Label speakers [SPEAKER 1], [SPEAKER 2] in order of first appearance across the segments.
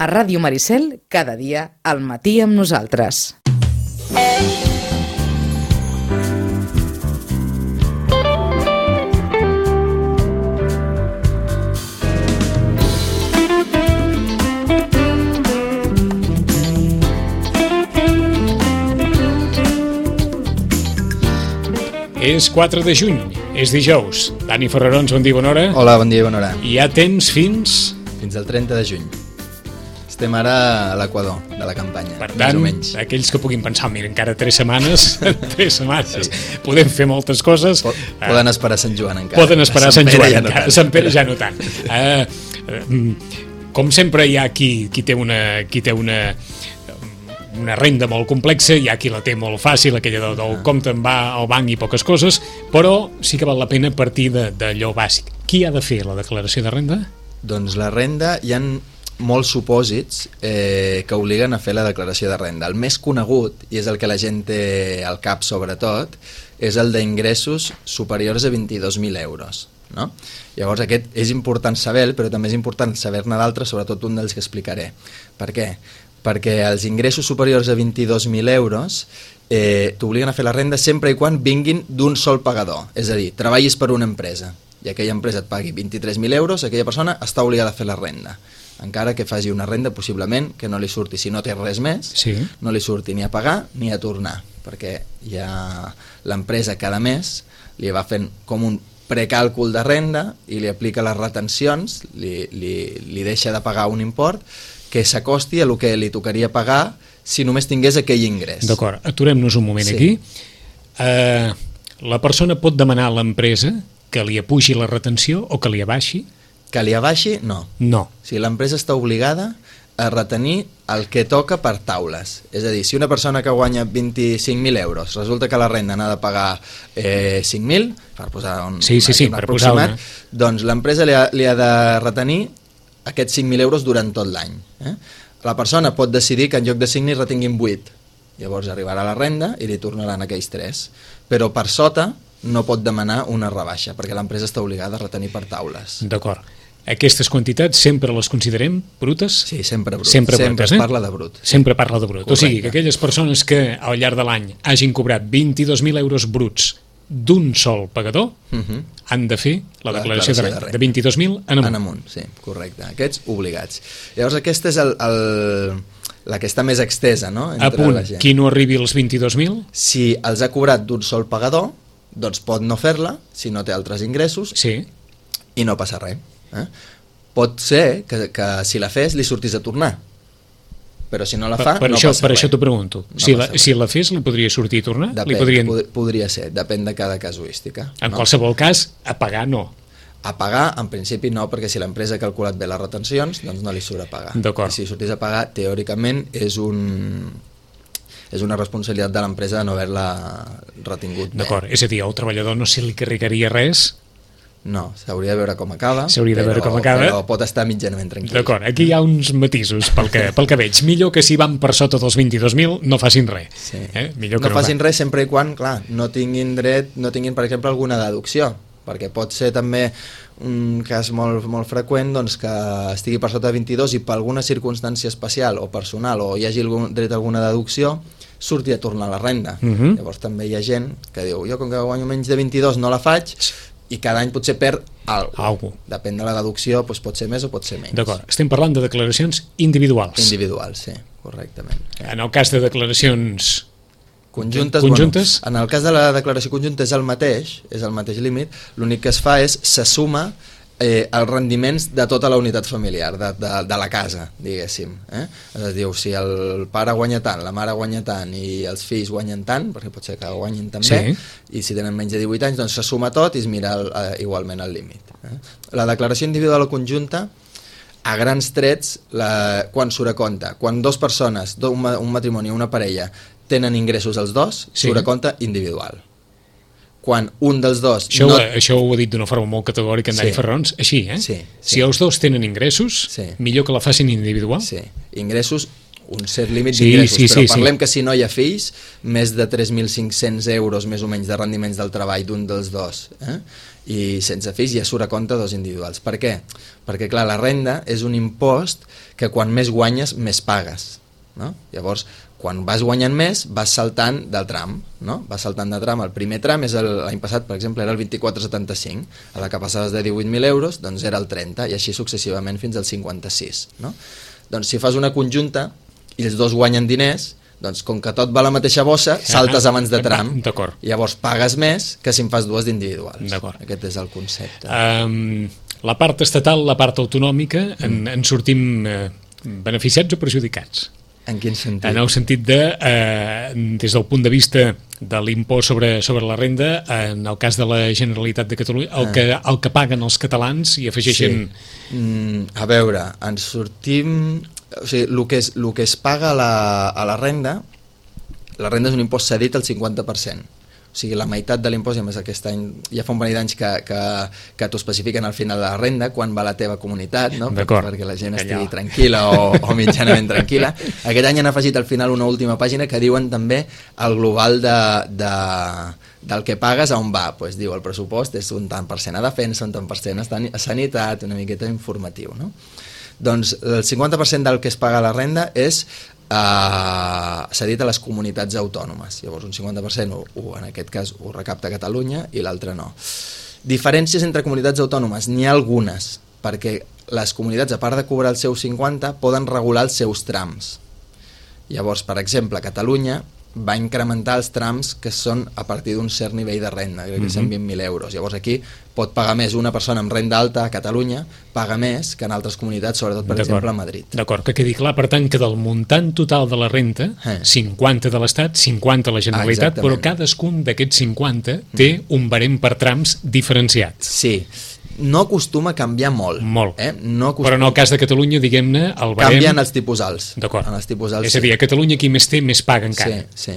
[SPEAKER 1] A Ràdio Maricel, cada dia al matí amb nosaltres.
[SPEAKER 2] És 4 de juny, és dijous. Dani Ferrarons, bon dia, bona hora.
[SPEAKER 3] Hola, bon dia i bona hora.
[SPEAKER 2] I ja tens fins
[SPEAKER 3] al 30 de juny. Estem ara a l'equador de la campanya,
[SPEAKER 2] per tant, aquells que puguin pensar, mira, encara 3 setmanes, 3 setmanes, sí. Podem fer moltes coses.
[SPEAKER 3] Poden esperar Sant Joan encara.
[SPEAKER 2] Poden esperar Sant Joan encara, Sant Pere ja no tant. Com sempre hi ha qui té una renda molt complexa, hi ha qui la té molt fàcil, aquella del compte en va al banc i poques coses, però sí que val la pena partir d'allò bàsic. Qui ha de fer la declaració de renda?
[SPEAKER 3] Doncs la renda, hi ha molts supòsits que obliguen a fer la declaració de renda. El més conegut, i és el que la gent té al cap sobretot, és el d'ingressos superiors a 22.000 euros. No? Llavors aquest és important saber, però també és important saber-ne d'altres, sobretot un dels que explicaré. Per què? Perquè els ingressos superiors a 22.000 euros t'obliguen a fer la renda sempre i quan vinguin d'un sol pagador. És a dir, treballis per una empresa i aquella empresa et pagui 23.000 euros, aquella persona està obligada a fer la renda. Encara que faci una renda, possiblement, que no li surti, si no té res més, sí. No li surti ni a pagar ni a tornar, perquè ja l'empresa cada mes li va fent com un precàlcul de renda i li aplica les retencions, li deixa de pagar un import que s'acosti a el que li tocaria pagar si només tingués aquell ingrés.
[SPEAKER 2] D'acord, aturem-nos un moment aquí. La persona pot demanar a l'empresa que li apugi la retenció o que li abaixi?
[SPEAKER 3] Que li abaixi, no.
[SPEAKER 2] No.
[SPEAKER 3] O sigui, l'empresa està obligada a retenir el que toca per taules. És a dir, si una persona que guanya 25.000 euros resulta que la renda n'ha de pagar 5.000, per posar un aproximat, doncs l'empresa li ha de retenir aquests 5.000 euros durant tot l'any. La persona pot decidir que en lloc de 5.000 retinguin 8. Llavors arribarà la renda i li tornaran aquells 3. Però per sota no pot demanar una rebaixa, perquè l'empresa està obligada a retenir per taules.
[SPEAKER 2] D'acord. Aquestes quantitats sempre les considerem brutes?
[SPEAKER 3] Sí, sempre brut.
[SPEAKER 2] Sempre
[SPEAKER 3] es parla de brut.
[SPEAKER 2] Sempre parla de brut. Correcte. O sigui, que aquelles persones que al llarg de l'any hagin cobrat 22.000 euros bruts d'un sol pagador, han de fer la declaració de renda. De 22.000 en amunt.
[SPEAKER 3] En amunt, sí, correcte. Aquests obligats. Llavors aquesta és la que està més extesa, no?
[SPEAKER 2] A punt, qui no arribi als 22.000?
[SPEAKER 3] Si els ha cobrat d'un sol pagador, doncs pot no fer-la, si no té altres ingressos,
[SPEAKER 2] sí.
[SPEAKER 3] I no passa res. Pot ser que si la fes li sortís a tornar, però si no la fa, no passa res.
[SPEAKER 2] Per això t'ho pregunto. Si la fes, li podria sortir i tornar?
[SPEAKER 3] Podria ser, depèn de cada casuística.
[SPEAKER 2] En qualsevol cas, a pagar no.
[SPEAKER 3] A pagar, en principi no, perquè si l'empresa ha calculat bé les retencions, doncs no li surt a pagar.
[SPEAKER 2] D'acord.
[SPEAKER 3] I si sortís a pagar, teòricament, és una responsabilitat de l'empresa de no haver-la retingut bé.
[SPEAKER 2] D'acord, és a dir, al treballador no se li carregaria res.
[SPEAKER 3] No, s'hauria de veure com acaba,
[SPEAKER 2] però
[SPEAKER 3] pot estar mitjanament tranquil.
[SPEAKER 2] D'acord, aquí hi ha uns matisos pel que veig. Millor que si van per sota dels 22.000 no facin res.
[SPEAKER 3] Sí. No facin res sempre i quan, clar, no tinguin, per exemple, alguna deducció, perquè pot ser també un cas molt, molt freqüent doncs, que estigui per sota de 22 i per alguna circumstància especial o personal o hi hagi dret a alguna deducció, surti a tornar la renda. Llavors també hi ha gent que diu, jo com que guanyo menys de 22 no la faig, i cada any potser perd alguna. Depèn de la deducció, doncs pot ser més o pot ser menys.
[SPEAKER 2] D'acord, estem parlant de declaracions individuals.
[SPEAKER 3] Individuals, sí, correctament.
[SPEAKER 2] En el cas de declaracions
[SPEAKER 3] conjuntes. Bueno, en el cas de la declaració conjunta és el mateix límit, l'únic que es fa és se suma els rendiments de tota la unitat familiar, de la casa, diguéssim. Es diu, si el pare guanya tant, la mare guanya tant i els fills guanyen tant, perquè pot ser que guanyin també, i si tenen menys de 18 anys, doncs se suma tot i es mira igualment el límit. La declaració individual o conjunta, a grans trets, quan surt a compte, quan dues persones, un matrimoni o una parella, tenen ingressos els dos, surt a compte individual. Quan un dels dos...
[SPEAKER 2] Això ho ha dit d'una forma molt categòrica en Dani Ferrons, així, Si els dos tenen ingressos, millor que la facin individual?
[SPEAKER 3] Sí, ingressos, un cert límit d'ingressos, però parlem que si no hi ha fills, més de 3.500 euros més o menys de rendiments del treball d'un dels dos, i sense fills ja surt a compte dos individuals. Per què? Perquè clar, la renda és un impost que quan més guanyes més pagues, no? Llavors quan vas guanyant més vas saltant de tram, no? Vas saltant de tram. El primer tram és l'any passat, per exemple, era el 24,75, a la que passaves de 18.000 euros doncs era el 30 i així successivament fins al 56, no? Doncs si fas una conjunta i els dos guanyen diners, doncs com que tot va a la mateixa bossa, saltes abans de tram.
[SPEAKER 2] D'acord.
[SPEAKER 3] Llavors pagues més que si en fas dues d'individuals.
[SPEAKER 2] D'acord.
[SPEAKER 3] Aquest és el concepte.
[SPEAKER 2] La part estatal, la part autonòmica, en sortim beneficiats o perjudicats?
[SPEAKER 3] En quin sentit?
[SPEAKER 2] En el sentit de, des del punt de vista de l'impost sobre la renda, en el cas de la Generalitat de Catalunya, el que paguen els catalans i afegeixen...
[SPEAKER 3] Sí. A veure, ens sortim... O sigui, el que es paga a la renda és un impost cedit al 50%. O sigui, la meitat de l'impost, i a més aquest any, ja fa un parell d'anys que t'ho especifiquen al final de la renda, quan va a la teva comunitat, no? Perquè la gent estigui tranquil·la o mitjanament tranquil·la. Aquest any han afegit al final una última pàgina que diuen també el global del que pagues a on va. Pues diu, el pressupost és un tant per cent a defensa, un tant per cent a sanitat, una miqueta informatiu, no? Doncs el 50% del que es paga a la renda és cedit a les comunitats autònomes. Llavors un 50% en aquest cas ho recapta Catalunya i l'altre no. Diferències entre comunitats autònomes n'hi ha algunes, perquè les comunitats, a part de cobrar el seu 50, poden regular els seus trams. Llavors, per exemple, Catalunya va incrementar els trams que són a partir d'un cert nivell de renda, crec que 120.000 euros. Llavors aquí pot pagar més una persona amb renda alta a Catalunya, paga més que en altres comunitats, sobretot per exemple a Madrid.
[SPEAKER 2] D'acord, que quedi clar, per tant, que del muntant total de la renda, 50 de l'Estat, 50 a la Generalitat, però cadascun d'aquests 50 té un barem per trams diferenciat.
[SPEAKER 3] Sí. No acostuma a canviar molt.
[SPEAKER 2] Molt.
[SPEAKER 3] No acostuma...
[SPEAKER 2] Però en el cas de Catalunya, diguem-ne, el barem...
[SPEAKER 3] Canvien els tipus alts.
[SPEAKER 2] D'acord.
[SPEAKER 3] És
[SPEAKER 2] a dir, a Catalunya qui més té, més paga encara.
[SPEAKER 3] Sí,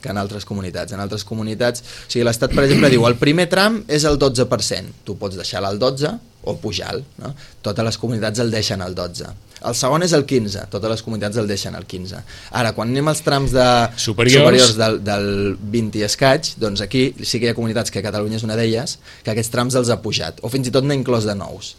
[SPEAKER 3] que en altres comunitats. En altres comunitats, o sigui, l'Estat, per exemple, diu el primer tram és el 12%. Tu pots deixar-lo al 12 o pujar-lo, no? Totes les comunitats el deixen al 12. El segon és el 15, totes les comunitats el deixen al 15. Ara, quan anem als trams superiors del 20 i escaig, doncs aquí sí que hi ha comunitats, que Catalunya és una d'elles, que aquests trams els ha pujat, o fins i tot n'ha inclòs de nous,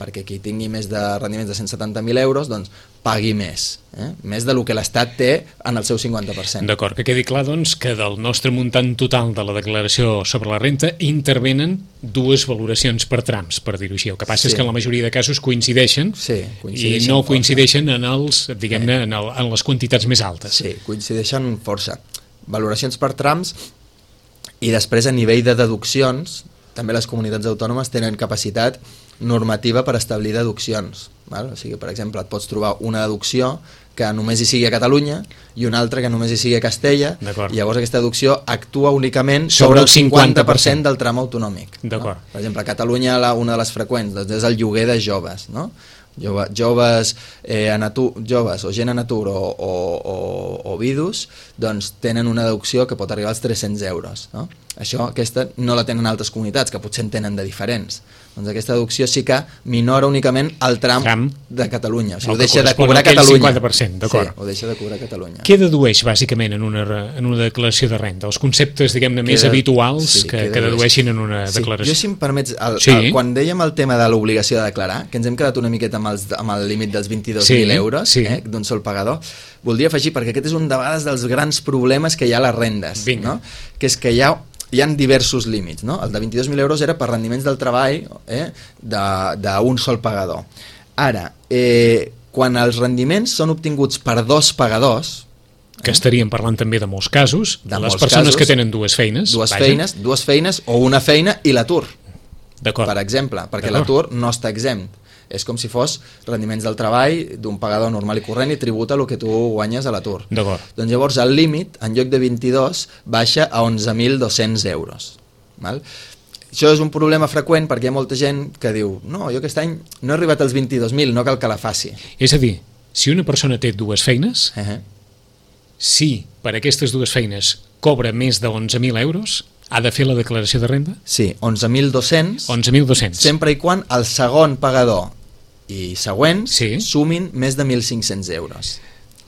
[SPEAKER 3] perquè qui tingui més de rendiments de 170.000 euros, doncs pagui més, més del que l'Estat té en el seu 50%.
[SPEAKER 2] D'acord, que quedi clar, doncs, que del nostre muntant total de la declaració sobre la renta intervenen dues valoracions per trams, per dir-ho així. El que passa és que en la majoria de casos coincideixen i no coincideixen en els, diguem-ne, en les quantitats més altes.
[SPEAKER 3] Sí, coincideixen força. Valoracions per trams i després a nivell de deduccions, també les comunitats autònomes tenen capacitat normativa per establir deduccions. Val? O sigui, per exemple, et pots trobar una deducció que només hi sigui a Catalunya i una altra que només hi sigui a Castella, i llavors aquesta deducció actua únicament sobre el 50% del tram autonòmic. No? Per exemple, a Catalunya una de les freqüents doncs, és el lloguer de joves, no? Joves o gent en atur o vidus, doncs tenen una deducció que pot arribar als 300 euros, no? Aquesta no la tenen altres comunitats, que potser en tenen de diferents. Doncs aquesta deducció sí que minora únicament el tram de Catalunya, o sigui, ho deixa de cobrar Catalunya.
[SPEAKER 2] 50%, d'acord.
[SPEAKER 3] Sí, ho deixa de cobrar Catalunya.
[SPEAKER 2] Què dedueix, bàsicament, en una declaració de renda? Els conceptes, diguem-ne, més habituals que dedueixin en una declaració.
[SPEAKER 3] Jo, si em permets, quan dèiem el tema de l'obligació de declarar, que ens hem quedat una miqueta amb el límit dels 22.000 euros d'un sol pagador, voldria afegir, perquè aquest és un de vegades dels grans problemes que hi ha a les rendes, no? Que és que hi ha diversos límits, no? El de 22.000 euros era per rendiments del treball d'un sol pagador. Ara, quan els rendiments són obtinguts per dos pagadors,
[SPEAKER 2] que estaríem parlant també de molts casos, de les persones que tenen dues feines
[SPEAKER 3] o una feina i l'atur,
[SPEAKER 2] per
[SPEAKER 3] exemple, perquè l'atur no està exempt. És com si fos rendiments del treball d'un pagador normal i corrent i tributa el que tu guanyes a l'atur. Doncs llavors el límit, en lloc de 22, baixa a 11.200 euros. Això és un problema freqüent perquè hi ha molta gent que diu no, jo aquest any no he arribat als 22.000, no cal que la faci.
[SPEAKER 2] És a dir, si una persona té dues feines, si per aquestes dues feines cobra més de 11.000 euros, ha de fer la declaració de renda?
[SPEAKER 3] Sí, 11.200, sempre i quan el segon pagador i següents sumin més de 1.500 euros.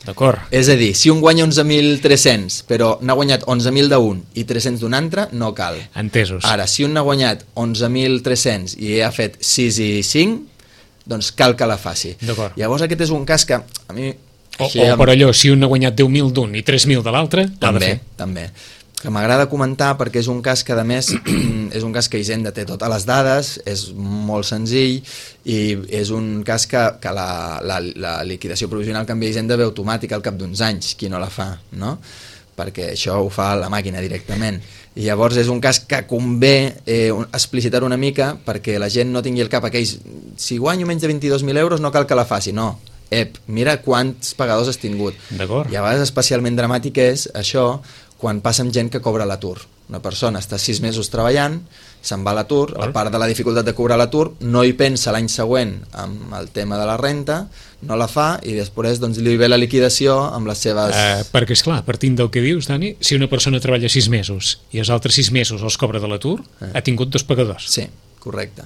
[SPEAKER 2] D'acord.
[SPEAKER 3] És a dir, si un guanya 11.300 però n'ha guanyat 11.000 d'un i 300 d'un altre, no cal.
[SPEAKER 2] Entesos.
[SPEAKER 3] Ara, si un n'ha guanyat 11.300 i ha fet 6 i 5, doncs cal que la faci.
[SPEAKER 2] D'acord.
[SPEAKER 3] Llavors aquest és un cas que a mi...
[SPEAKER 2] O per allò, si un ha guanyat 10.000 d'un i 3.000 de l'altre, l'ha de fer.
[SPEAKER 3] També. Que m'agrada comentar perquè és un cas que, a més, és un cas que Hisenda té totes les dades, és molt senzill i és un cas que la liquidació provisional que envia Hisenda ve automàtica al cap d'uns anys, qui no la fa, no? Perquè això ho fa la màquina directament. I llavors és un cas que convé explicitar una mica perquè la gent no tingui el cap aquells, si guanyo menys de 22.000 euros no cal que la faci, no. Mira quants pagadors has tingut.
[SPEAKER 2] D'acord.
[SPEAKER 3] I a vegades especialment dramàtic és això quan passa amb gent que cobra l'atur. Una persona està 6 mesos treballant, se'n va a l'atur, a part de la dificultat de cobrar l'atur, no hi pensa l'any següent amb el tema de la renta, no la fa i després doncs, li ve la liquidació amb les seves...
[SPEAKER 2] Perquè, esclar, partint del que dius, Dani, si una persona treballa 6 mesos i els altres 6 mesos els cobra de l'atur, ha tingut 2 pagadors.
[SPEAKER 3] Sí, correcte.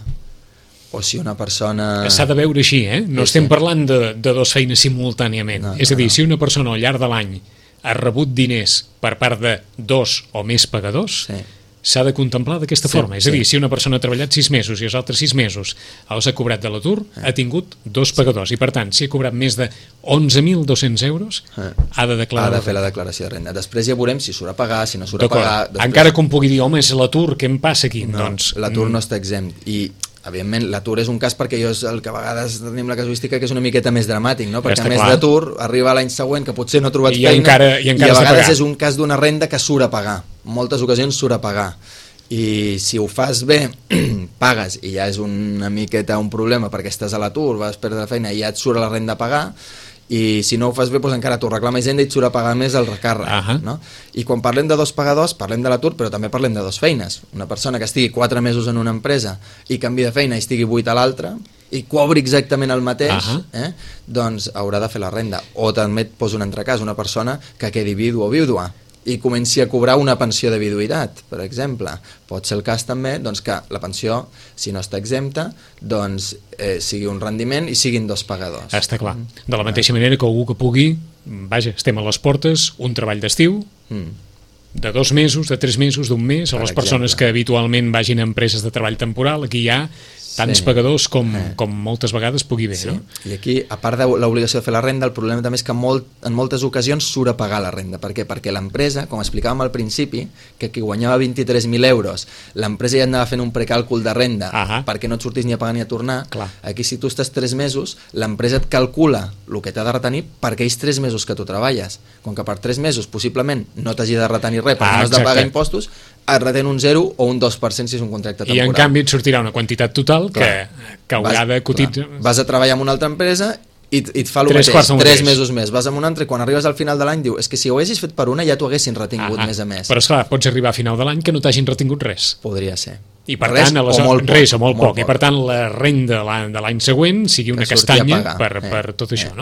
[SPEAKER 3] O si una persona...
[SPEAKER 2] S'ha de veure així, no estem parlant de 2 feines simultàniament. És a dir, si una persona al llarg de l'any ha rebut diners per part de 2 o més pagadors, s'ha de contemplar d'aquesta forma. És a dir, si una persona ha treballat 6 mesos i els altres 6 mesos els ha cobrat de l'atur, ha tingut 2 pagadors. I per tant, si ha cobrat més de 11.200 euros, ha de declarar...
[SPEAKER 3] Ha de fer la declaració de renda. Després ja veurem si surt a pagar, si no surt a pagar...
[SPEAKER 2] Encara com pugui dir, home, és l'atur, què em passa aquí?
[SPEAKER 3] No, doncs, l'atur no està exempt. I evidentment, l'atur és un cas perquè és el que a vegades tenim la casuística que és una miqueta més dramàtic, no? Perquè a més d'atur arriba l'any següent que potser no ha trobat feina i a vegades és un cas d'una renda que surt a pagar. En moltes ocasions surt a pagar. I si ho fas bé, pagues i ja és una miqueta un problema perquè estàs a l'atur, vas perdre la feina i ja et surt la renda a pagar, i si no ho fas bé doncs encara t'ho reclama Hisenda i et surt a pagar més el recàrrec, no? I quan parlem de 2 pagadors parlem de l'atur però també parlem de 2 feines. Una persona que estigui 4 mesos en una empresa i canvi de feina i estigui 8 a l'altra i cobri exactament el mateix, doncs haurà de fer la renda. O també et poso un altre cas, una persona que quedi vidu o vídua i comenci a cobrar una pensió de viduïtat, per exemple. Pot ser el cas també doncs, que la pensió, si no està exempta, doncs sigui un rendiment i siguin 2 pagadors.
[SPEAKER 2] Està clar. De la mateixa manera que algú que pugui, vaja, estem a les portes, un treball d'estiu, de 2 mesos, de 3 mesos, d'un mes, a les persones que habitualment vagin a empreses de treball temporal, aquí hi ha tants pagadors com moltes vegades pugui haver. No?
[SPEAKER 3] I aquí, a part de l'obligació de fer la renda, el problema també és que en moltes ocasions surt a pagar la renda. Per què? Perquè l'empresa, com explicàvem al principi, que qui guanyava 23.000 euros, l'empresa ja anava fent un precàlcul de renda perquè no et sortís ni a pagar ni a tornar. Aquí, si tu estàs 3 mesos, l'empresa et calcula el que t'ha de retenir per aquells 3 mesos que tu treballes. Com que per 3 mesos possiblement no t'hagi de retenir res perquè no has de pagar impostos, et retén un 0 o un 2% si és un contracte temporal.
[SPEAKER 2] I en canvi et sortirà una quantitat total que haurà de cotitzar.
[SPEAKER 3] Vas a treballar en una altra empresa i et fa el mateix, 3 mesos més. Vas en una altra i quan arribes al final de l'any diu és que si ho haguessis fet per una ja t'ho haguessin retingut més a més.
[SPEAKER 2] Però esclar, pots arribar a final de l'any que no t'hagin retingut res.
[SPEAKER 3] Podria ser.
[SPEAKER 2] I per tant, res o molt poc. I per tant, la renda de l'any següent sigui una castanya per tot això.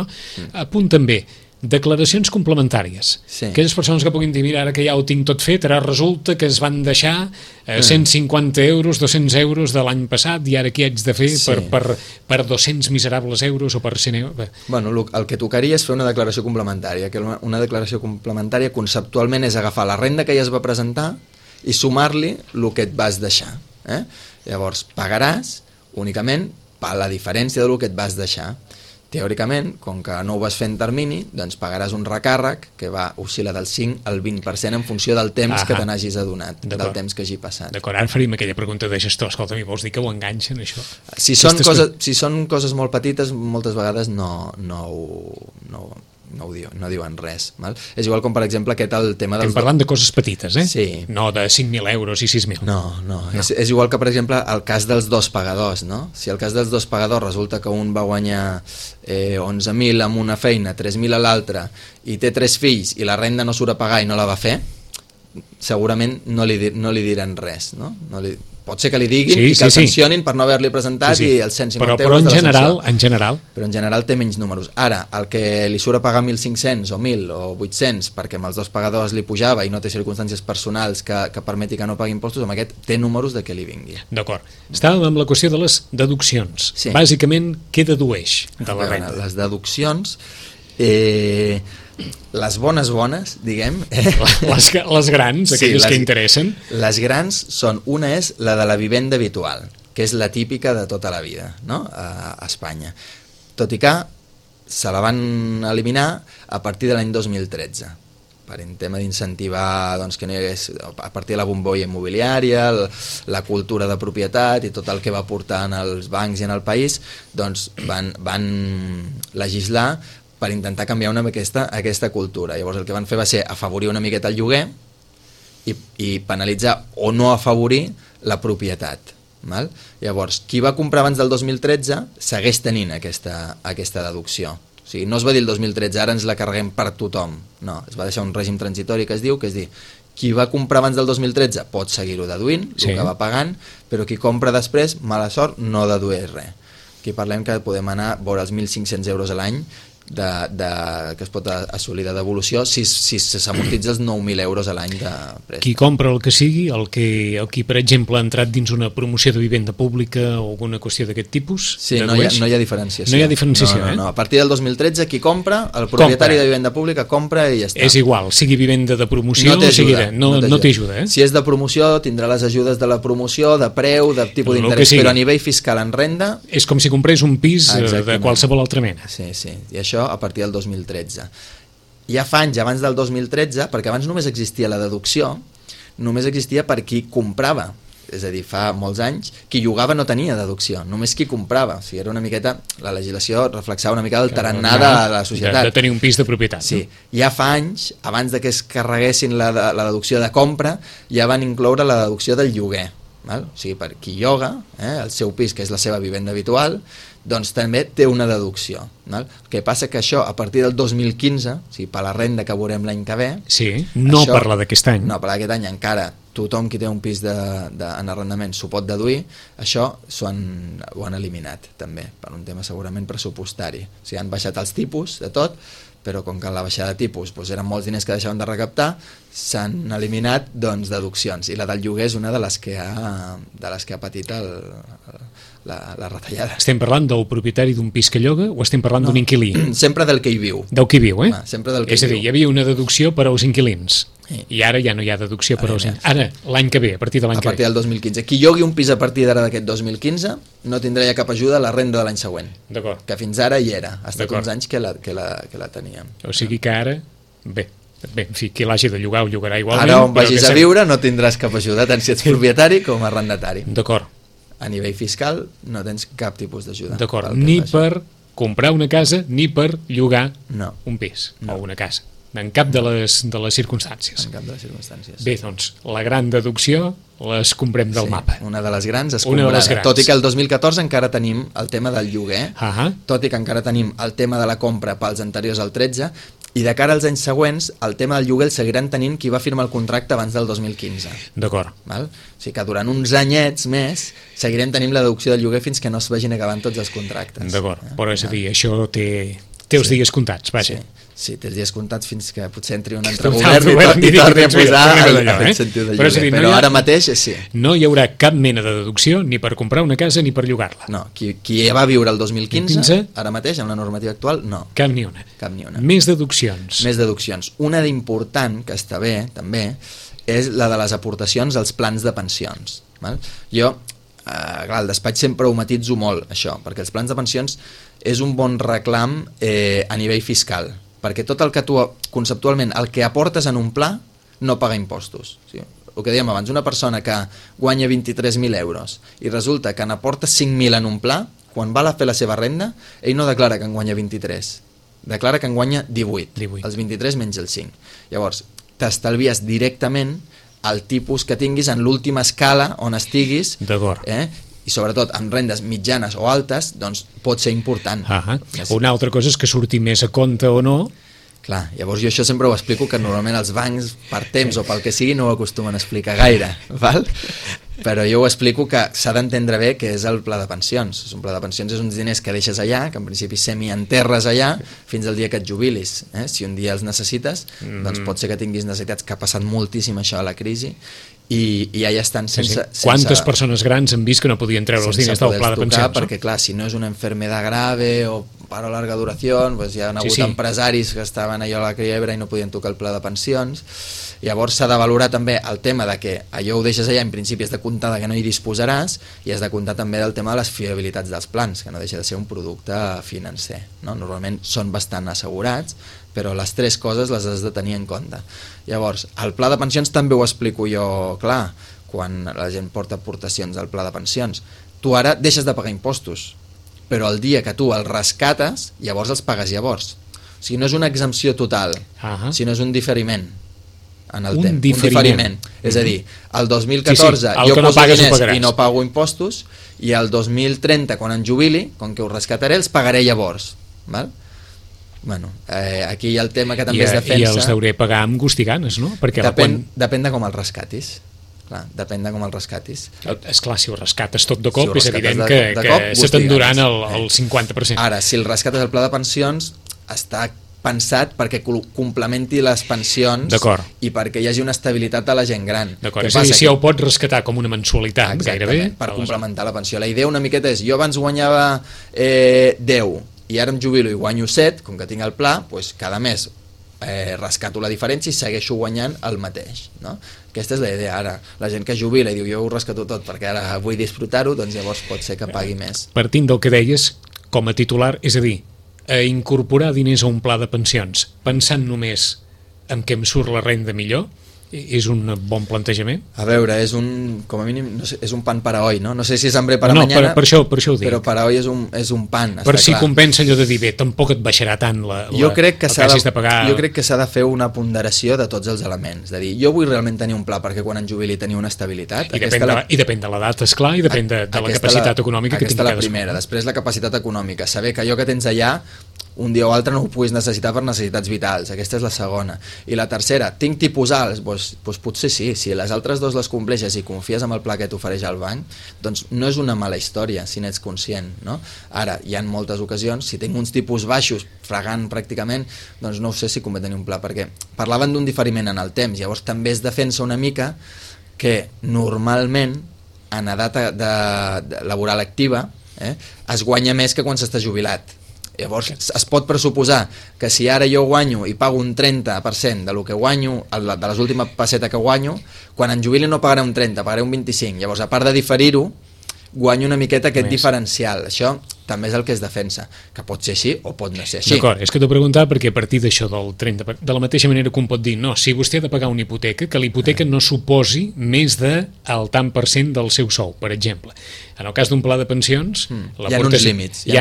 [SPEAKER 2] A punt també, declaracions complementàries. Aquelles persones que puguin dir, mira, ara que ja ho tinc tot fet, ara resulta que es van deixar 150 euros, 200 euros de l'any passat i ara què haig de fer per 200 miserables euros o per 100 euros?
[SPEAKER 3] Bueno, el que tocaria és fer una declaració complementària, que una declaració complementària conceptualment és agafar la renda que ja es va presentar i sumar-li el que et vas deixar. Llavors, pagaràs únicament per la diferència del que et vas deixar. Teòricament, com que no ho vas fer en termini, doncs pagaràs un recàrrec que va oscil·lar del 5 al 20% en funció del temps que te n'hagis adonat, del temps que hagi passat.
[SPEAKER 2] D'acord, ara faríem aquella pregunta de gestor. Escolta, vols dir que ho enganxen, això?
[SPEAKER 3] Si són coses molt petites, moltes vegades no diuen res. Val? És igual com, per exemple, el tema dels...
[SPEAKER 2] Estem parlant de coses petites,
[SPEAKER 3] Sí.
[SPEAKER 2] No de 5.000 euros i 6.000.
[SPEAKER 3] No. És igual que, per exemple, el cas dels 2 pagadors, no? Si el cas dels 2 pagadors resulta que un va guanyar 11.000 amb una feina, 3.000 a l'altra, i té 3 fills i la renda no surt a pagar i no la va fer, segurament no li diran res, no? Pot ser que li diguin i que el sancionin per no haver-li presentat i els 150 euros de la sanció. Però en general té menys números. Ara, el que li surt a pagar 1.500 o 1.000 o 800 perquè amb els 2 pagadors li pujava i no té circumstàncies personals que permeti que no pagui impostos, amb aquest té números de què li vingui.
[SPEAKER 2] D'acord. Estàvem amb la qüestió de les deduccions. Bàsicament, què dedueix de la renda?
[SPEAKER 3] Les deduccions... les bones, diguem...
[SPEAKER 2] Les grans, aquelles que interessen.
[SPEAKER 3] Les grans són, una és la de la vivenda habitual, que és la típica de tota la vida, no? A Espanya. Tot i que se la van eliminar a partir de l'any 2013, per un tema d'incentivar doncs, que no hi hagués, a partir de la bombolla immobiliària, la cultura de propietat i tot el que va portar en els bancs i en el país, doncs van legislar per intentar canviar una mica aquesta cultura. Llavors el que van fer va ser afavorir una miqueta el lloguer i penalitzar o no afavorir la propietat. Val? Llavors, qui va comprar abans del 2013 segueix tenint aquesta deducció. O sigui, no es va dir el 2013, ara ens la carreguem per tothom. No, es va deixar un règim transitori que es diu, qui va comprar abans del 2013 pot seguir-ho deduint, el que va pagant, però qui compra després, mala sort, no dedueix res. Aquí parlem que podem anar a veure els 1.500 euros a l'any que es pot assolir de devolució si s'amortitza els 9.000 euros a l'any de préstec.
[SPEAKER 2] Qui compra el que sigui, el qui per exemple ha entrat dins una promoció de vivenda pública o alguna qüestió d'aquest tipus,
[SPEAKER 3] sí, no hi ha diferenciació.
[SPEAKER 2] No hi ha diferenciació,
[SPEAKER 3] no. A partir del 2013 qui compra, el propietari de vivenda pública compra i ja està.
[SPEAKER 2] És igual, sigui vivenda de promoció no t'ajuda.
[SPEAKER 3] Si és de promoció tindrà les ajudes de la promoció, de preu, de tipus d'interès, però a nivell fiscal en renda...
[SPEAKER 2] És com si comprés un pis de qualsevol altra mena.
[SPEAKER 3] Sí, i això a partir del 2013. Ja fa anys abans del 2013, perquè abans només existia la deducció, només existia per qui comprava, és a dir, fa molts anys, qui llogava no tenia deducció, només qui comprava. O sigui, era una miqueta, la legislació reflexava una mica el tarannà de la societat.
[SPEAKER 2] De tenir un pis de propietat.
[SPEAKER 3] Sí, ja fa anys, abans de que es carreguessin la deducció de compra, ja van incloure la deducció del lloguer. Val? O sigui, per qui lloga el seu pis, que és la seva vivenda habitual, doncs també té una deducció. Val? El que passa que això, a partir del 2015, o sigui, per la renda que veurem l'any que ve...
[SPEAKER 2] Sí, no això, per la d'aquest any.
[SPEAKER 3] No, per la d'aquest any encara tothom qui té un pis en arrendament s'ho pot deduir, això ho han eliminat també, per un tema segurament pressupostari. O sigui, han baixat els tipus de tot, però com que en la baixada de tipus eren molts diners que deixaven de recaptar, s'han eliminat deduccions, i la del lloguer és una de les que ha patit la retallada.
[SPEAKER 2] Estem parlant del propietari d'un pis que lloga o estem parlant d'un inquilí?
[SPEAKER 3] Sempre del que hi viu.
[SPEAKER 2] Del que hi viu,
[SPEAKER 3] sempre del que
[SPEAKER 2] és a dir, hi havia una deducció per als inquilins. Sí. I ara ja no hi ha deducció per als... Ara, l'any que ve, a partir de l'any que ve.
[SPEAKER 3] A partir del 2015. Qui llogui un pis a partir d'ara d'aquest 2015 no tindrà ja cap ajuda a la renda de l'any següent.
[SPEAKER 2] D'acord.
[SPEAKER 3] Que fins ara hi era. Ha estat uns anys que la teníem.
[SPEAKER 2] O sigui que ara... Bé, en fi, qui l'hagi de llogar ho llogarà igualment.
[SPEAKER 3] Ara on vagis a viure no tindràs cap ajuda, tant si ets propietari com arrendatari.
[SPEAKER 2] D'acord.
[SPEAKER 3] A nivell fiscal no tens cap tipus d'ajuda.
[SPEAKER 2] D'acord, ni per comprar una casa ni per llogar un pis o una casa. En cap de les circumstàncies.
[SPEAKER 3] En cap de les circumstàncies.
[SPEAKER 2] Bé, doncs, la gran deducció les comprem del mapa.
[SPEAKER 3] Una de les grans escombrada. Tot i que el 2014 encara tenim el tema del lloguer, tot i que encara tenim el tema de la compra pels anteriors al 13, i de cara als anys següents, el tema del lloguer el seguiran tenint qui va firmar el contracte abans del 2015.
[SPEAKER 2] D'acord.
[SPEAKER 3] O sigui que durant uns anyets més seguirem tenint la deducció del lloguer fins que no es vagin acabant tots els contractes.
[SPEAKER 2] D'acord, però és a dir, això té els dies comptats, vaja.
[SPEAKER 3] Sí, té els dies comptats fins que potser entri un altre govern i torni a posar aquest sentit de lloguer. Però ara mateix sí.
[SPEAKER 2] No hi haurà cap mena de deducció ni per comprar una casa ni per llogar-la.
[SPEAKER 3] No, qui va viure el 2015, ara mateix, amb la normativa actual, no.
[SPEAKER 2] Cap ni una. Més deduccions.
[SPEAKER 3] Més deduccions. Una d'important, que està bé, també, és la de les aportacions als plans de pensions. Jo, clar, al despatx sempre ho matitzo molt, això, perquè els plans de pensions és un bon reclam a nivell fiscal, perquè tot el que tu, conceptualment, el que aportes en un pla no paga impostos. O sigui, el que dèiem abans, una persona que guanya 23.000 euros i resulta que n'aporta 5.000 en un pla, quan va a fer la seva renda, ell no declara que en guanya 23, declara que en guanya 18. Els 23 menys el 5. Llavors, t'estalvies directament el tipus que tinguis en l'última escala on estiguis.
[SPEAKER 2] D'acord.
[SPEAKER 3] I sobretot amb rendes mitjanes o altes, doncs pot ser important.
[SPEAKER 2] Una altra cosa és que surti més a compte o no.
[SPEAKER 3] Clar, llavors jo això sempre ho explico, que normalment els bancs, per temps o pel que sigui, no ho acostumen a explicar gaire, val? Però jo ho explico que s'ha d'entendre bé què és el pla de pensions. Un pla de pensions és uns diners que deixes allà, que en principi semi-enterres allà, fins al dia que et jubilis. Si un dia els necessites, doncs pot ser que tinguis necessitats, que ha passat moltíssim això a la crisi, i ja estan sense...
[SPEAKER 2] Quantes persones grans han vist que no podien treure els diners del pla de pensions?
[SPEAKER 3] Perquè, clar, si no és una enfermedad grave o paro a larga duració, pues hi ha hagut empresaris que estaven allò a la quiebra i no podien tocar el pla de pensions. Llavors s'ha de valorar també el tema de que allò ho deixes allà, en principi has de comptar que no hi disposaràs, i has de comptar també del tema de les fiabilitats dels plans, que no deixa de ser un producte financer, no? Normalment són bastant assegurats, però les tres coses les has de tenir en compte. Llavors, el pla de pensions també ho explico jo clar, quan la gent porta aportacions al pla de pensions. Tu ara deixes de pagar impostos, però el dia que tu els rescates, llavors els pagues llavors. O sigui, no és una exempció total, sinó és un diferiment en el temps. Un diferiment. És a dir, el 2014 jo poso diners i no pago impostos, i el 2030, quan em jubili, com que ho rescataré, els pagaré llavors. Val? Bueno, aquí hi ha el tema que també es defensa...
[SPEAKER 2] I els hauré pagar amb gust i ganes, no? Perquè
[SPEAKER 3] depèn de com els rescatis. Clar, depèn de com els rescatis.
[SPEAKER 2] Esclar, si ho rescates tot de cop, és evident que se t'enduran el 50%.
[SPEAKER 3] Ara, si el rescates al pla de pensions, està pensat perquè complementi les pensions i perquè hi hagi una estabilitat a la gent gran.
[SPEAKER 2] D'acord, és a dir, si ho pots rescatar com una mensualitat, gairebé...
[SPEAKER 3] per complementar la pensió. La idea una miqueta és, jo abans guanyava 10 i ara em jubilo i guanyo 7, com que tinc el pla, doncs cada mes rescato la diferència i segueixo guanyant el mateix, no? Aquesta és la idea. Ara, la gent que jubila i diu jo ho rescato tot perquè ara vull disfrutar-ho, doncs llavors pot ser que pagui més.
[SPEAKER 2] Partint del que deies, com a titular, és a dir, incorporar diners a un pla de pensions pensant només en què em surt la renda millor, és un bon plantejament?
[SPEAKER 3] A veure, és un, com a mínim, no sé, és un pan para hoy, no? No sé si és hambre para mañana,
[SPEAKER 2] per això ho dic.
[SPEAKER 3] Però para hoy és un pan,
[SPEAKER 2] per si clar. Compensa allò de dir, bé, tampoc et baixarà tant
[SPEAKER 3] jo crec que s'ha de fer una ponderació de tots els elements, de dir, jo vull realment tenir un pla perquè quan em jubili tenir una estabilitat.
[SPEAKER 2] I depèn de l'edat, esclar, i depèn de la capacitat econòmica que tingui cadascú.
[SPEAKER 3] Aquesta és la primera, després la capacitat econòmica, saber que allò que tens allà un dia o altre no ho puguis necessitar per necessitats vitals, aquesta és la segona. I la tercera, tinc tipus alts? Doncs potser sí, si les altres dos les compleixes i confies en el pla que t'ofereix el banc, doncs no és una mala història si n'ets conscient, no? Ara, hi ha moltes ocasions, si tinc uns tipus baixos, fregant pràcticament, doncs no sé si convé tenir un pla, perquè parlaven d'un diferiment en el temps, llavors també es defensa una mica que normalment en edat laboral activa es guanya més que quan s'està jubilat. Llavors es pot pressuposar que si ara jo guanyo i pago un 30% del que guanyo, de les últimes pessetes que guanyo, quan em jubili no pagaré un 30, pagaré un 25. Llavors, a part de diferir-ho, guanyo una miqueta aquest diferencial. Això també és el que es defensa, que pot ser així o pot no ser així.
[SPEAKER 2] D'acord, és que t'ho preguntava perquè a partir d'això del 30%, de la mateixa manera que un pot dir, no, si vostè ha de pagar una hipoteca, que l'hipoteca no suposi més del tant per cent del seu sou, per exemple. En el cas d'un pla de pensions...
[SPEAKER 3] Hi ha uns límits. Sí, hi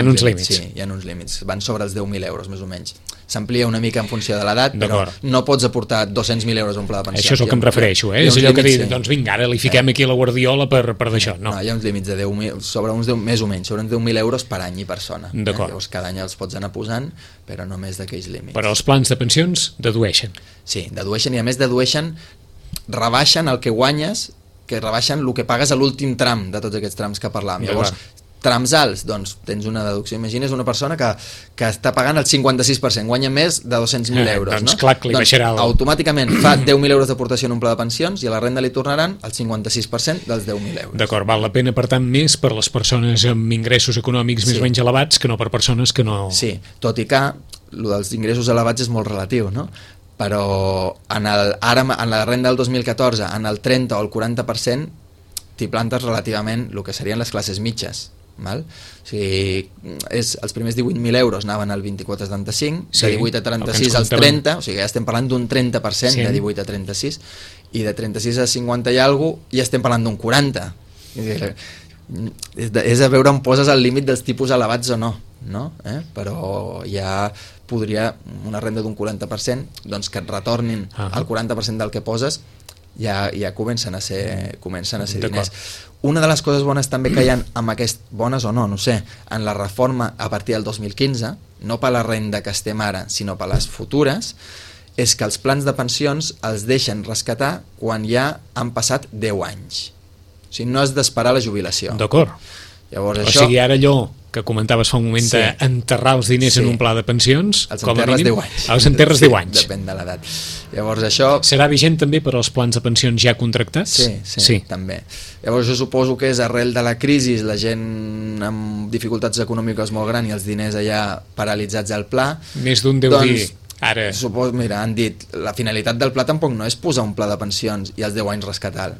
[SPEAKER 3] ha uns límits. Van sobre els 10.000 euros, més o menys. S'amplia una mica en funció de l'edat, però no pots aportar 200.000 euros a un pla de pensions.
[SPEAKER 2] Això és el que em refereixo, és allò que dic, doncs vinga, ara li fiquem aquí la guardiola per d'això. No,
[SPEAKER 3] hi ha uns límits de 10.000, sobre uns 10, més o menys, sobre uns 10.000 euros per any i persona. Llavors cada any els pots anar posant, però no més d'aquells límits.
[SPEAKER 2] Però els plans de pensions dedueixen.
[SPEAKER 3] Sí, dedueixen, i a més dedueixen, rebaixen el que guanyes, que rebaixen el que pagues a l'últim tram de tots aquests trams que parlàvem. Llavors, trams alts, doncs tens una deducció. Imagines una persona que està pagant el 56%, guanya més de 200.000 euros.
[SPEAKER 2] Doncs clar, li baixarà
[SPEAKER 3] automàticament fa 10.000 euros d'aportació en un pla de pensions i a la renda li tornaran el 56% dels 10.000 euros.
[SPEAKER 2] D'acord, val la pena, per tant, més per les persones amb ingressos econòmics més o menys elevats que no per persones que no...
[SPEAKER 3] Sí, tot i que el dels ingressos elevats és molt relatiu, no? Però en la renda del 2014, en el 30 o el 40%, t'hi plantes relativament el que serien les classes mitges. Val? O sigui, els primers 18.000 euros anaven al 24-75, de 18 a 36 als 30, o sigui ja estem parlant d'un 30% de 18 a 36, i de 36 a 50 i alguna cosa ja estem parlant d'un 40. És a veure on poses el límit dels tipus elevats o no? Però ja podria una renda d'un 40%, doncs que et retornin el 40% del que poses, ja comencen a ser diners. Una de les coses bones també que hi ha bones o no sé, en la reforma a partir del 2015, no per la renda que estem ara, sinó per les futures, és que els plans de pensions els deixen rescatar quan ja han passat 10 anys. O sigui, no has d'esperar la jubilació.
[SPEAKER 2] D'acord.
[SPEAKER 3] Llavors,
[SPEAKER 2] o sigui, ara allò que comentaves fa un moment d'enterrar els diners en un pla de pensions,
[SPEAKER 3] els
[SPEAKER 2] com a mínim,
[SPEAKER 3] 10 anys.
[SPEAKER 2] Els enterres 10 anys.
[SPEAKER 3] Depèn de l'edat. Llavors això...
[SPEAKER 2] Serà vigent també per als plans de pensions ja contractats?
[SPEAKER 3] Sí, també. Llavors jo suposo que és arrel de la crisi, la gent amb dificultats econòmiques molt gran i els diners allà paralitzats al pla.
[SPEAKER 2] Més d'un deu dir... Ara...
[SPEAKER 3] Suposo, mira, han dit, la finalitat del pla tampoc no és posar un pla de pensions i als 10 anys rescatar.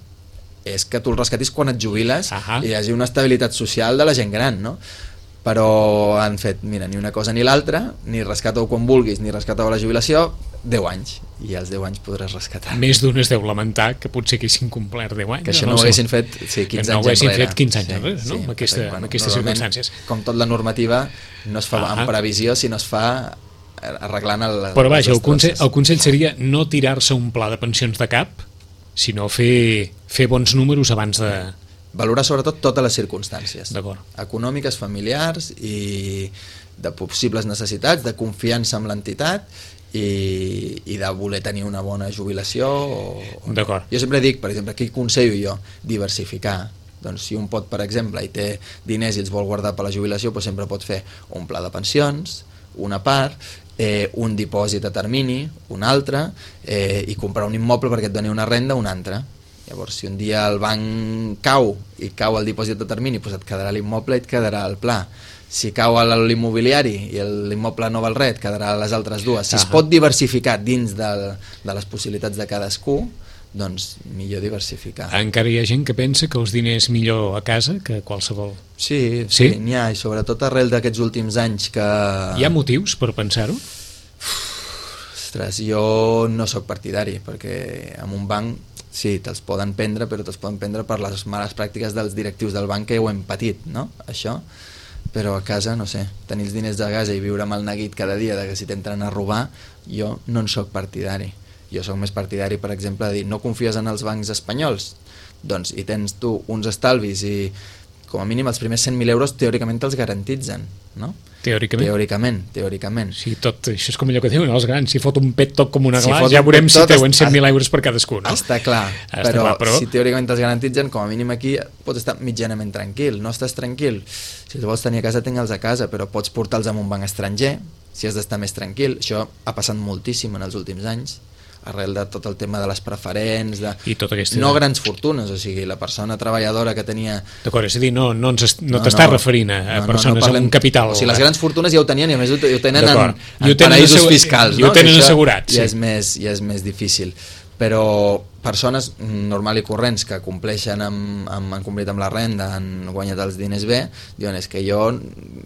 [SPEAKER 3] És que tu el rescatis quan et jubiles i hi hagi una estabilitat social de la gent gran, no? Però han fet, mira, ni una cosa ni l'altra, ni rescata-ho quan vulguis, ni rescata-ho a la jubilació, 10 anys. I als 10 anys podràs rescatar.
[SPEAKER 2] Més d'un es deu lamentar que potser haguessin complert 10 anys.
[SPEAKER 3] Que això no ho haguessin fet 15 anys enrere.
[SPEAKER 2] No ho haguessin fet 15 anys enrere, no? Amb aquestes circumstàncies.
[SPEAKER 3] Com tot la normativa, no es fa amb previsió, sinó es fa arreglant
[SPEAKER 2] però vaja, el consell seria no tirar-se un pla de pensions de cap, sinó fer bons números abans de...
[SPEAKER 3] Valorar sobretot totes les circumstàncies econòmiques, familiars i de possibles necessitats, de confiança en l'entitat i de voler tenir una bona jubilació
[SPEAKER 2] D'acord.
[SPEAKER 3] Jo sempre dic, per exemple, què aconsello jo? Diversificar. Doncs si un pot, per exemple, i té diners i els vol guardar per la jubilació, doncs sempre pot fer un pla de pensions, una part, un dipòsit a termini, un altre, i comprar un immoble perquè et doni una renda, un altre. Llavors, si un dia el banc cau i cau el dipòsit a termini, doncs et quedarà l'immoble i et quedarà el pla. Si cau l'immobiliari i l'immoble no val res, et quedarà les altres dues. Si es pot diversificar dins de les possibilitats de cadascú, doncs millor diversificar.
[SPEAKER 2] Encara hi ha gent que pensa que els diners millor a casa que qualsevol...
[SPEAKER 3] Sí, n'hi ha, i sobretot arrel d'aquests últims anys que...
[SPEAKER 2] Hi ha motius per pensar-ho?
[SPEAKER 3] Ostres, jo no sóc partidari, perquè en un banc sí, te'ls poden prendre, però te'ls poden prendre per les males pràctiques dels directius del banc, que ho hem patit, no?, això. Però a casa, no sé, tenir els diners de casa i viure amb el neguit cada dia de que si t'entren a robar, jo no en sóc partidari. Jo sóc més partidari, per exemple, de dir no confies en els bancs espanyols, doncs i tens tu uns estalvis i com a mínim els primers 100.000 euros teòricament te'ls garantitzen, no? Teòricament.
[SPEAKER 2] Sí, tot això és com allò que diuen els grans, si fot un pet tot com una gla, ja veurem si treuen 100.000 euros per cadascú, no?
[SPEAKER 3] Està clar, però si teòricament te'ls garantitzen, com a mínim aquí pots estar mitjanament tranquil. No estàs tranquil? Si els vols tenir a casa, tingue'ls a casa, però pots portar-los a un banc estranger, si has d'estar més tranquil. Això ha passat moltíssim en els últims anys, arrel de tot el tema de les preferents, no grans fortunes, o sigui, la persona treballadora que tenia...
[SPEAKER 2] D'acord, és a dir, no t'estàs referint a persones amb un capital...
[SPEAKER 3] O sigui, les grans fortunes ja ho tenien i a més ho tenen en paraïsos fiscals, no?
[SPEAKER 2] I ho tenen assegurat,
[SPEAKER 3] sí. Ja és més difícil. Però persones normal i corrents que compleixen han complit amb la renda, han guanyat els diners bé, diuen, és que jo,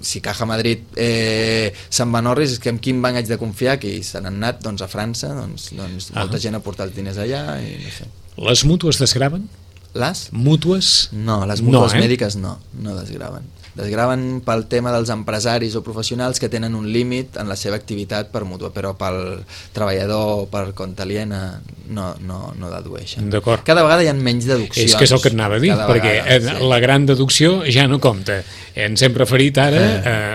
[SPEAKER 3] si Caja Madrid se'n va a Norris, és que amb quin banc haig de confiar, que se n'han anat doncs, a França, doncs molta gent ha portat els diners allà i no sé.
[SPEAKER 2] Les mútues desgraven?
[SPEAKER 3] Les?
[SPEAKER 2] Mútues?
[SPEAKER 3] No, les mútues mèdiques no desgraven. Desgraven pel tema dels empresaris o professionals que tenen un límit en la seva activitat per mútua, però pel treballador, per compte aliena, no dedueixen.
[SPEAKER 2] D'acord.
[SPEAKER 3] Cada vegada hi ha menys deduccions.
[SPEAKER 2] És que és el que et anava a dir, perquè la gran deducció ja no compta. Ens hem referit ara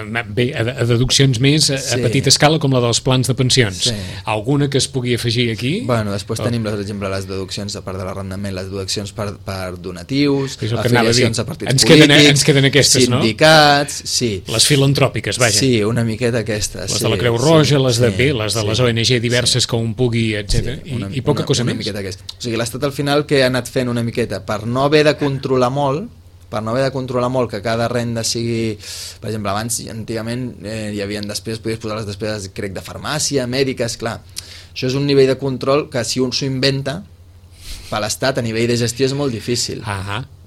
[SPEAKER 2] a deduccions més a petita escala, com la dels plans de pensions. Alguna que es pugui afegir aquí?
[SPEAKER 3] Bueno, després tenim, per exemple, les deduccions a part de l'arrendament, les deduccions per donatius,
[SPEAKER 2] afiliacions a partits polítics, ens queden aquestes, no?
[SPEAKER 3] Sindicats, sí.
[SPEAKER 2] Les filantròpiques, vaja.
[SPEAKER 3] Sí, una miqueta aquestes.
[SPEAKER 2] Les de la Creu Roja, les de les ONG diverses que un pugui, etc. I poca cosa més.
[SPEAKER 3] O sigui, l'Estat al final que ha anat fent una miqueta per no haver de controlar molt, que cada renda sigui... Per exemple, abans, antigament, hi havia despeses, podies posar les despeses, crec, de farmàcia, mèdiques, clar. Això és un nivell de control que si un s'ho inventa, per l'Estat a nivell de gestió és molt difícil.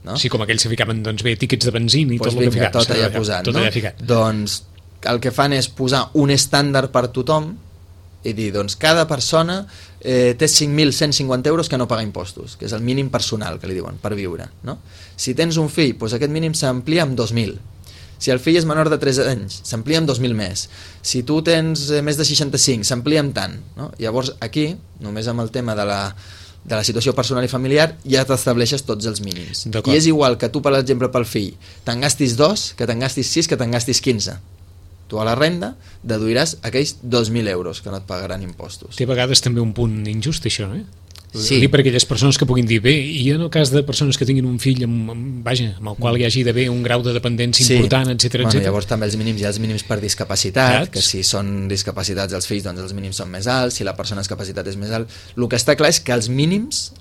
[SPEAKER 2] No? Sí, com aquells que ficaven tíquets de benzina i tot el que ficaven.
[SPEAKER 3] Tot allà posat, no? Doncs el que fan és posar un estàndard per tothom i dir, doncs cada persona té 5.150 euros que no paga impostos, que és el mínim personal que li diuen, per viure, no? Si tens un fill, doncs aquest mínim s'amplia amb 2.000. Si el fill és menor de 3 anys, s'amplia amb 2.000 més. Si tu tens més de 65, s'amplia amb tant, no? Llavors aquí, només amb el tema de la situació personal i familiar, ja t'estableixes tots els mínims. I és igual que tu, per exemple, pel fill, te'n gastis 2, que te'n gastis 6, que te'n gastis 15. Tu a la renda deduiràs aquells 2.000 euros que no et pagaran impostos.
[SPEAKER 2] Té a vegades també un punt injust, això, eh? Sí. Dir per aquelles persones que puguin dir, bé, i en el cas de persones que tinguin un fill amb el qual hi hagi d'haver un grau de dependència important, etc.
[SPEAKER 3] Bueno, llavors també hi ha els mínims per discapacitat, que si són discapacitats els fills, doncs els mínims són més alts, si la persona amb discapacitat és més alt. El que està clar és que els mínims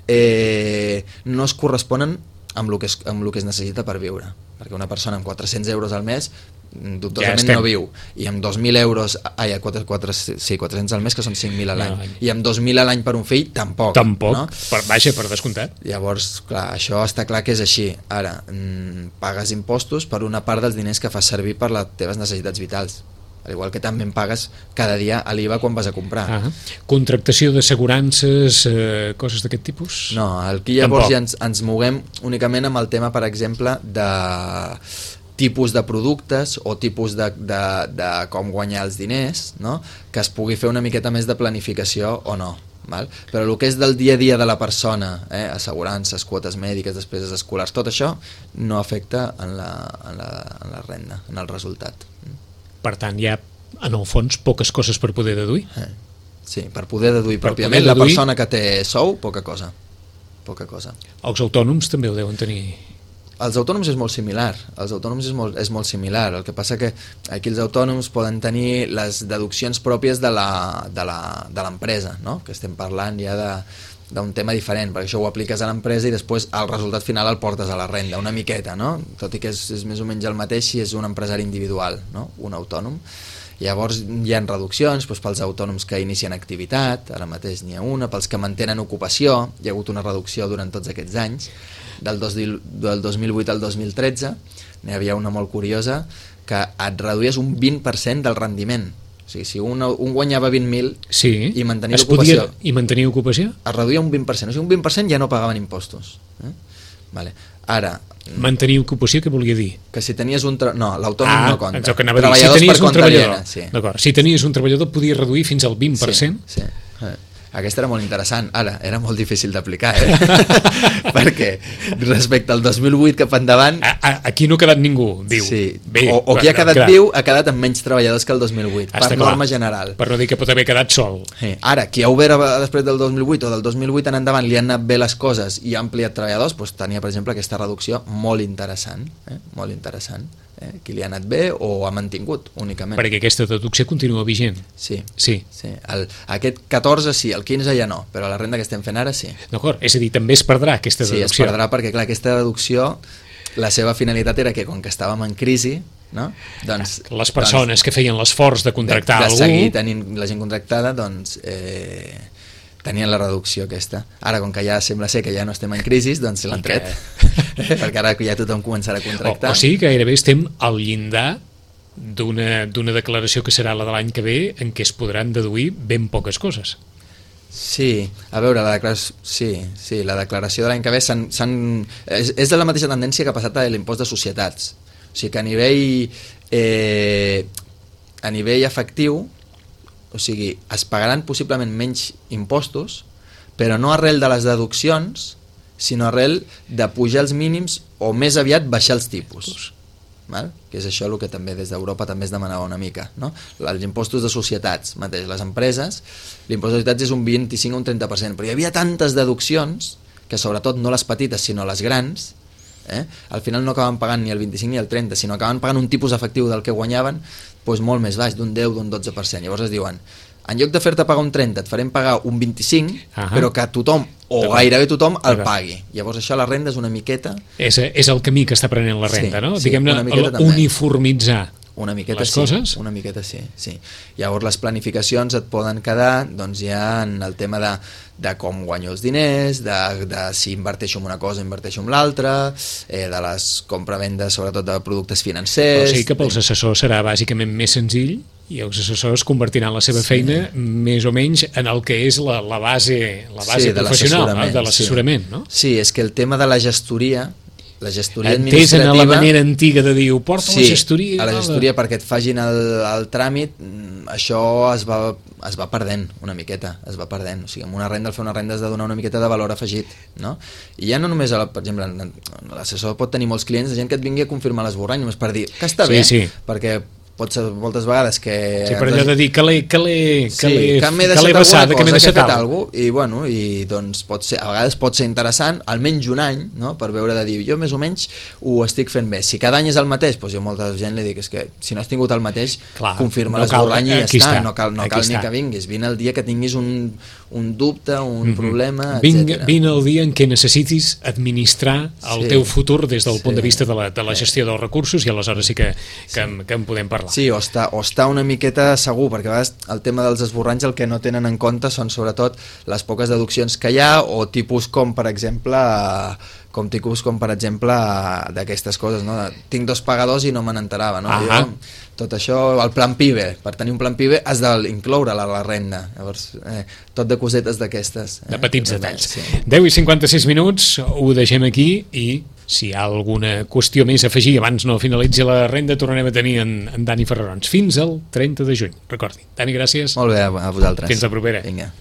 [SPEAKER 3] no es corresponen amb el que es necessita per viure, perquè una persona amb 400 euros al mes dubtosament no viu, i amb 2.000 euros 400 al mes, que són 5.000 a l'any, i amb 2.000 a l'any per un fill tampoc, no?
[SPEAKER 2] per descomptat.
[SPEAKER 3] Llavors, clar, això està clar que és així. Ara, pagues impostos per una part dels diners que fas servir per les teves necessitats vitals, al igual que també pagues cada dia a l'IVA quan vas a comprar.
[SPEAKER 2] Contractació d'assegurances, coses d'aquest tipus?
[SPEAKER 3] No, aquí llavors ja ens moguem únicament amb el tema, per exemple, de tipus de productes o tipus de com guanyar els diners, no? Que es pugui fer una miqueta més de planificació o no. Val? Però el que és del dia a dia de la persona, assegurances, quotes mèdiques, despeses escolars, tot això no afecta en la renda, en el resultat.
[SPEAKER 2] Per tant, hi ha, en el fons, poques coses per poder deduir?
[SPEAKER 3] Sí, per poder deduir pròpiament la persona que té sou, poca cosa.
[SPEAKER 2] Els autònoms també ho deuen tenir.
[SPEAKER 3] Els autònoms és molt similar, és molt similar. El que passa que aquí els autònoms poden tenir les deduccions pròpies de l'empresa, no? Que estem parlant ja d'un tema diferent, perquè això ho apliques a l'empresa i després el resultat final el portes a la renda, una miqueta, no? Tot i que és més o menys el mateix si és un empresari individual, no? Un autònom. Llavors hi ha reduccions pels autònoms que inicien activitat, ara mateix n'hi ha una, pels que mantenen ocupació, hi ha hagut una reducció durant tots aquests anys, del 2008 al 2013, n'hi havia una molt curiosa, que et reduïes un 20% del rendiment. O sigui, si un guanyava 20.000 i mantenia l'ocupació...
[SPEAKER 2] I mantenia ocupació?
[SPEAKER 3] Es reduïa un 20%, o sigui, un 20% ja no pagaven impostos. Vale. Ara...
[SPEAKER 2] Mantenir ocupació, què volia dir?
[SPEAKER 3] Que si tenies un... No, l'autònom no compta.
[SPEAKER 2] Treballadors per compte aliena. D'acord, si tenies un treballador podies reduir fins al 20%?
[SPEAKER 3] Sí. Aquesta era molt interessant, ara, era molt difícil d'aplicar, perquè respecte al 2008 cap endavant...
[SPEAKER 2] Aquí no ha quedat ningú, diu.
[SPEAKER 3] Sí. O qui ha quedat viu ha quedat amb menys treballadors que el 2008, per norma general.
[SPEAKER 2] Per no dir que pot haver quedat sol.
[SPEAKER 3] Ara, qui ha obert després del 2008 o del 2008 en endavant li han anat bé les coses i ha ampliat treballadors, doncs tenia, per exemple, aquesta reducció molt interessant, molt interessant. Qui li ha anat bé o ha mantingut únicament.
[SPEAKER 2] Perquè aquesta deducció continua vigent.
[SPEAKER 3] Sí. Aquest 14 sí, el 15 ja no, però la renda que estem fent ara sí.
[SPEAKER 2] D'acord, és a dir, també es perdrà aquesta deducció.
[SPEAKER 3] Sí, es perdrà perquè, clar, aquesta deducció, la seva finalitat era que, com que estàvem en crisi, no?
[SPEAKER 2] Doncs, les persones que feien l'esforç de contractar algú...
[SPEAKER 3] De seguir tenint la gent contractada, doncs... tenien la reducció aquesta. Ara, com que ja sembla ser que ja no estem en crisi, doncs l'han tret. Perquè ara ja tothom començarà a contractar.
[SPEAKER 2] O sigui que gairebé estem al llindar d'una declaració que serà la de l'any que ve en què es podran deduir ben poques coses.
[SPEAKER 3] Sí, a veure, la declaració de l'any que ve és de la mateixa tendència que ha passat a l'impost de societats. O sigui que a nivell efectiu, o sigui, es pagaran possiblement menys impostos, però no arrel de les deduccions, sinó arrel de pujar els mínims o més aviat baixar els tipus. Val? Que és això el que també des d'Europa també es demanava una mica, no? Els impostos de societats, mateix, les empreses, l'impost de societats és un 25 o un 30%, però hi havia tantes deduccions, que sobretot no les petites sinó les grans, al final no acaben pagant ni el 25 ni el 30, sinó acaben pagant un tipus efectiu del que guanyaven doncs molt més baix, d'un 10 o d'un 12%. Llavors es diuen, en lloc de fer-te pagar un 30 et farem pagar un 25, però que tothom o gairebé tothom el pagui. Llavors això la renda és una miqueta...
[SPEAKER 2] És el camí que està prenent la renda, no? Diguem-ne, uniformitzar
[SPEAKER 3] una miqueta
[SPEAKER 2] les coses?
[SPEAKER 3] Una miqueta sí. Llavors les planificacions et poden quedar doncs ja en el tema de com guanyo els diners, de si inverteixo en una cosa, inverteixo en l'altra, de les compravendes sobretot de productes financers...
[SPEAKER 2] Però sí que pels assessors serà bàsicament més senzill i els assessors convertiran la seva feina més o menys en el que és la base professional de l'assessorament, no?
[SPEAKER 3] Sí, és que el tema de la gestoria administrativa...
[SPEAKER 2] Entès en la manera antiga de dir, ho porta a la gestoria...
[SPEAKER 3] Sí, a la gestoria perquè et fagin el tràmit, això es va perdent una miqueta, es va perdent. O sigui, amb una renda, al fer una renda has de donar una miqueta de valor afegit, no? I ja no només, per exemple, l'assessor pot tenir molts clients de gent que et vingui a confirmar l'esborrany, només per dir que està bé, perquè moltes vegades que...
[SPEAKER 2] Sí, per allò de dir que l'he
[SPEAKER 3] vessat, que m'he
[SPEAKER 2] deixat
[SPEAKER 3] alguna cosa, i bueno, i doncs a vegades pot ser interessant, almenys un any, no?, per veure de dir, jo més o menys ho estic fent bé. Si cada any és el mateix, doncs jo a molta gent li dic, és que si no has tingut el mateix, confirma l'esborrany i ja està, no cal ni que vinguis, vine el dia que tinguis un dubte, un problema, etc.
[SPEAKER 2] Vine el dia en què necessitis administrar el teu futur des del punt de vista de la gestió dels recursos, i aleshores sí que en podem parlar.
[SPEAKER 3] Sí, o està una miqueta segur, perquè a vegades el tema dels esborranys el que no tenen en compte són sobretot les poques deduccions que hi ha, o tipus com per exemple d'aquestes coses, no? Tinc 2 pagadors i no me n'enterava, no? Tot això, el plan PIBE, per tenir un plan PIBE has d'incloure la renda, llavors tot de cosetes d'aquestes,
[SPEAKER 2] de petits detalls. 10:56 minuts, ho deixem aquí, i si hi ha alguna qüestió més a afegir abans no finalitzi la renda, tornarem a tenir en Dani Ferrarons fins al 30 de juny, recordi. Dani, gràcies.
[SPEAKER 3] Molt bé, a vosaltres.
[SPEAKER 2] Fins la propera.
[SPEAKER 3] Vinga.